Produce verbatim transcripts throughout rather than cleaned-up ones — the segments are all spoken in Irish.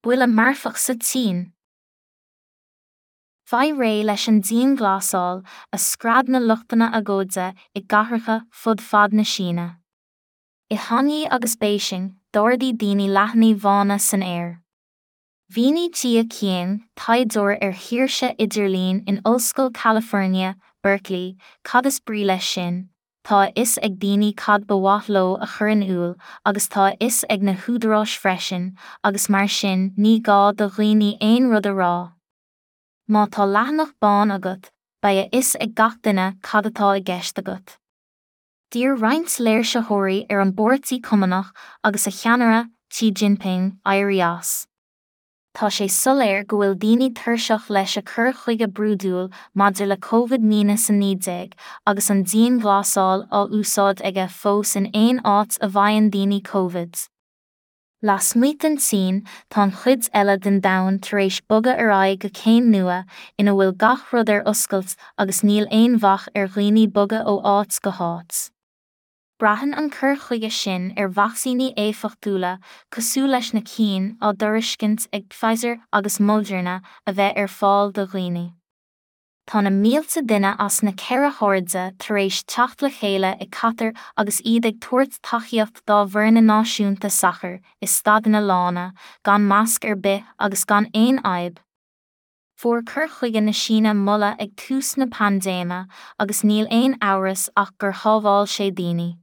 Buille marfach sa tSín. Faigh réidh leis an dianghlasáil a scread na luchtanna agóide i gcathracha fud fad na Síne. I Shanghai agus Béising, d'ardaigh daoine leathanaigh bhána san aer. Mhínigh Jia Qiang, taighdeoir ar shaoirse idirlín in Ollscoil California, Berkeley, cad is brí leis sin, tá a fhios ag daoine cad ba mhaith leo a chur in iúl agus tá a fhios ag na húdaráis freisin, agus mar sin ní gá do dhaoine aon rud a rá. Má tá leathanach bán agat, beidh a fhios ag gach duine cad atá i gceist agat. D'iarr roinnt léirsitheoirí ar an bPáirtí Cumannach agus a cheannaire, Xi Jinping, éirí as. Tá sé soiléir go bhfuil daoine tuirseach leis a cur chuige brúidiúil maidir le Covid míneas a naoi déag agus an dianghlasáil á úsáid aige fós in aon áit a bhfaigheann daoine Covid. Lasmuigh den tSín, tá an chuid eile den domhan tar éis bogadh ar aghaidh go céim nua ina bhfuil gach rud ar oscailt agus níl aon bhac ar dhaoine bogadh ó áit go háit. Braitheann an cur chuige sin ar vacsaíní éifeachtúla cosúil leis na cinn á dtairiscint ag Pfizer agus Moderna a bheith ar fáil do dhaoine. Tá na mílte duine as na ceithre hairde tar éis teacht le chéile i Qatar agus iad ag tabhairt tacaíocht dá bhfoirne náisiúnta sacair i staideanna lána, gan masc ar bith agus gan aon fhadhb. Fuair cur chuige na Síne moladh ag tús na paindéime agus níl aon amhras ach gur shábháil sé daoine.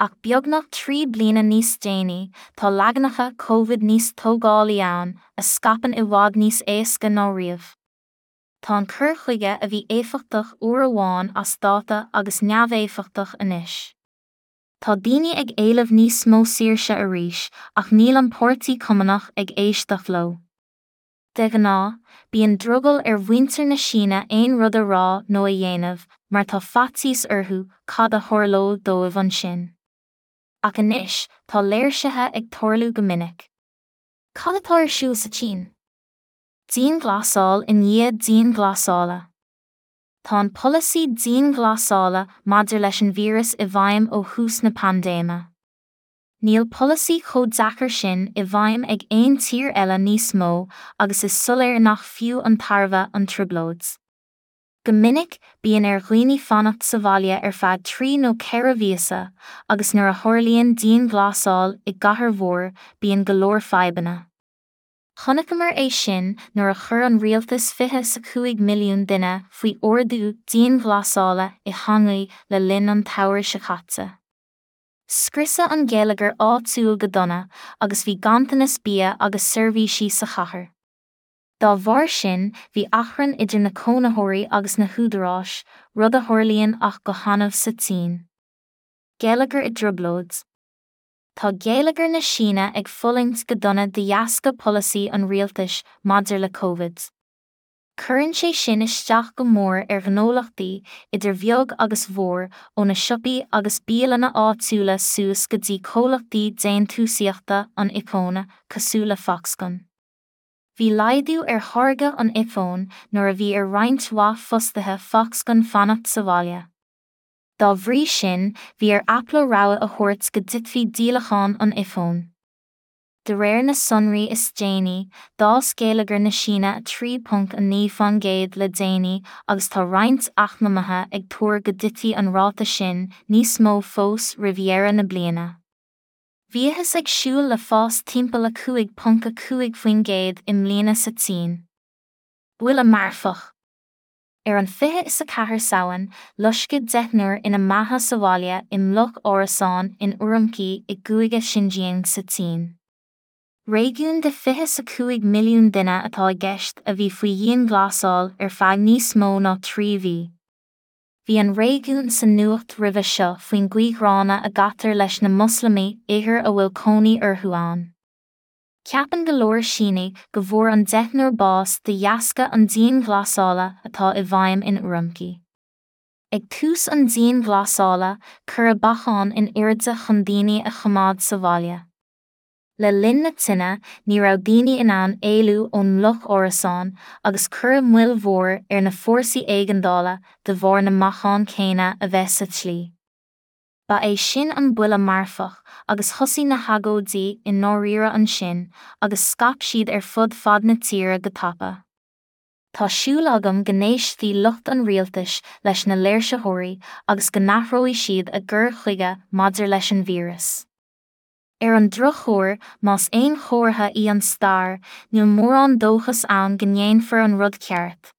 Ach beagnach trí bliana níos déanaí, tá leaganacha Covid níos tógálaí ann, a scaipeann i bhfad níos éasca ná riamh. Tá an cur chuige a bhí éifeachtach uair amháin as dáta agus neamhéifeachtach anois. Tá daoine ag éileamh níos mó saoirse arís, ach níl an Páirtí Cumannach ag éisteacht leo. De ghnáth, bíonn drogall ar mhuintir na Síne aon rud a rá nó a dhéanamh, mar tá faitíos orthu cad a tharlódh dóibh ansin. Ach anois, tá léirsithe ag tarlú go minic. Cad atá ar siúl sa tSín? Dianghlasáil i ndiaidh dianghlasála. Tá an polasaí dianghlasála maidir leis an víreas i bhfeidhm ó thús na paindéime. Níl polasaí chomh deacair sin i bhfeidhm ag aon tír eile níos mó agus is soiléir nach fiú an tairbhe an trioblóid. Go minic, bíonn ar dhaoine fanacht sa bhaile ar feadh trí nó ceithre mhíosa, agus nuair a tharlaíonn dianghlasáil i gcathair mhór, bíonn go leor fadhbanna. Chonaiceamar é sin nuair a chuir an rialtas fiche is a cúig milliún duine faoi ordú dianghlasála i Shanghai le linn an tsamhraidh seo caite. Scriosadh an geilleagar áitiúil go dona agus bhí ganntanas bia agus seirbhísí sa chathair. Dá bharr sin, bhí achrann idir na cónaitheoirí agus na húdaráis, rud a tharlaíonn ach go hannamh sa tSín. Geilleagar i dtrioblóid. Tá geilleagar na Síne ag fulaingt go dona de dheasca polasaí an rialtais maidir le Covid. Cuireann sé sin isteach go mór ar ghnólachtaí, idir bheag agus mhór, ó na siopaí agus bialanna áitiúla suas go dtí comhlachtaí déantúsaíochta an iPhone, cosúil le Foxconn. Bhí laghdú ar tháirgeadh an iPhone nuair a bhí ar roinnt mhaith fostaithe Foxconn fanacht sa bhaile. Dá bhrí sin, bhí ar Apple rabhadh a thabhairt go dtitfeadh díolacháin an iPhone. De réir na sonraí is déanaí, d'fhás geilleagar na Síne a trí ponc a naoi faoin gcéad le déanaí agus tá roinnt eacnamaithe ag tuar go dtitfidh an ráta sin níos mó fós roimh dheireadh na bliana. Bhíothas ag siúl le fás timpeall a cúig ponc a cúig faoin gcéad i mbliana sa tSín. Buille marfach. Ar an fiche is a ceathair Samhain, loisceadh deichniúr ina mbeatha sa bhaile i mbloc árasán in Urumqi i gcúige Xinjiang sa tSín. Réigiún de fiche is a cúig milliún duine atá i gceist a bhí faoi dhianghlasáil ar feadh níos mó ná trí mhí. Bhí an réigiún sa nuacht roimhe seo faoin gcaoi ghránna a gcaitear leis na Moslamaigh Uighir a bhfuil cónaí orthu ann. Ceapann go leor Sínigh go bhfuair an deichniúr bás de dheasca an dianghlasála atá i bhfeidhm in Urumqi. Ag tús an dianghlasála, cuireadh bacáin in airde chun daoine a choimeád sa bhaile. Le linn na tine, ní raibh daoine in ann éalú ón mbloc árasán agus cuireadh moill mhór ar na fórsaí éigeandála de bharr na mbacán céanna a bheith sa tslí. Ba é sin an buille marfach agus thosaigh na hagóidí i ndáiríre ansin agus scaip siad ar fud fad na tíre go tapa. Tá súil agam go n-éistfidh lucht an rialtais leis na léirsitheoirí agus go n-athróidh siad a gcur chuige maidir leis an víreas. Ar an drochuair, más aon chomhartha í an stair, níl mórán dóchas ann go ndéanfar an rud ceart.